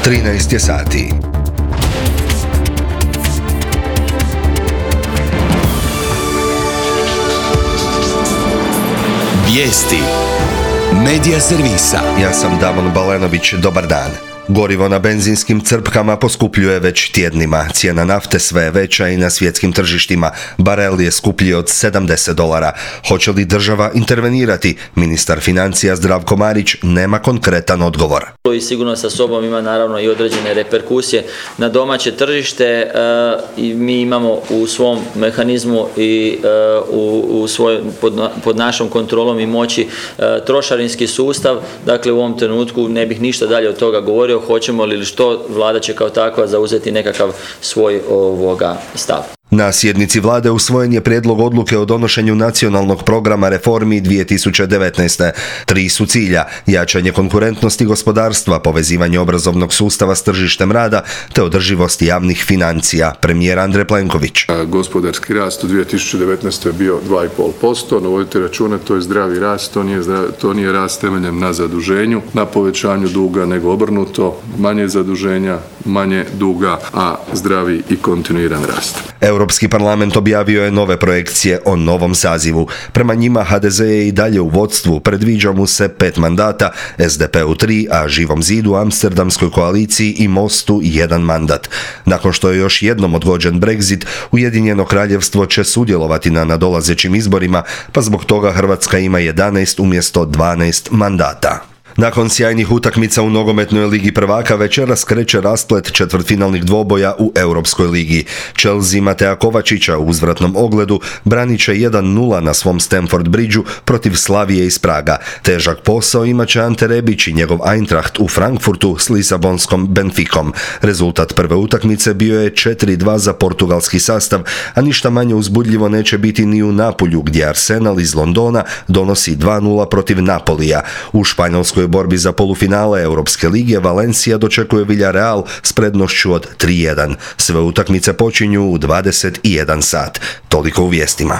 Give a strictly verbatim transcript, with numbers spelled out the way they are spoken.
trinaest je sati. Vijesti Medija servisa. Ja sam Damon Balenović, dobar dan. Gorivo na benzinskim crpkama poskupljuje već tjednima. Cijena nafte sve je veća i na svjetskim tržištima. Barel je skuplji od sedamdeset dolara. Hoće li država intervenirati? Ministar financija Zdravko Marić nema konkretan odgovor. I sigurno sa sobom ima naravno i određene reperkusije na domaće tržište. I mi imamo u svom mehanizmu i u, u svoj, pod, pod našom kontrolom i moći trošarinski sustav. Dakle, u ovom trenutku ne bih ništa dalje od toga govorio. Hoćemo li ili što, vlada će kao takva zauzeti nekakav svoj ovoga stav. Na sjednici vlade usvojen je prijedlog odluke o donošenju nacionalnog programa reformi dvije tisuće devetnaeste. Tri su cilja: jačanje konkurentnosti gospodarstva, povezivanje obrazovnog sustava s tržištem rada te održivost javnih financija. Premijer Andrej Plenković. Gospodarski rast u dvije tisuće devetnaestoj je bio dva i pol posto, no vodite računa, to je zdravi rast, to nije, zdravi, to nije rast temeljem na zaduženju, na povećanju duga, nego obrnuto, manje zaduženja, manje duga, a zdravi i kontinuiran rast. Europski parlament objavio je nove projekcije o novom sazivu. Prema njima ha de ze je i dalje u vodstvu, predviđa mu se pet mandata, es de pe-u tri, a Živom zidu, Amsterdamskoj koaliciji i Mostu jedan mandat. Nakon što je još jednom odgođen Brexit, Ujedinjeno kraljevstvo će sudjelovati na nadolazećim izborima, pa zbog toga Hrvatska ima jedanaest umjesto dvanaest mandata. Nakon sjajnih utakmica u nogometnoj ligi prvaka večeras kreće rasplet četvrtfinalnih dvoboja u Europskoj ligi. Chelsea Matea Kovačića u uzvratnom ogledu branit će jedan nula na svom Stamford Bridgeu protiv Slavije iz Praga. Težak posao imat će Ante Rebić i njegov Eintracht u Frankfurtu s Lisabonskom Benficom. Rezultat prve utakmice bio je četiri dva za portugalski sastav, a ništa manje uzbudljivo neće biti ni u Napulju, gdje Arsenal iz Londona donosi dva nula protiv Napolija. U Španjolskoj borbi za polufinale Europske lige Valencia dočekuje Villarreal s prednošću od tri jedan. Sve utakmice počinju u dvadeset jedan sat. Toliko u vijestima.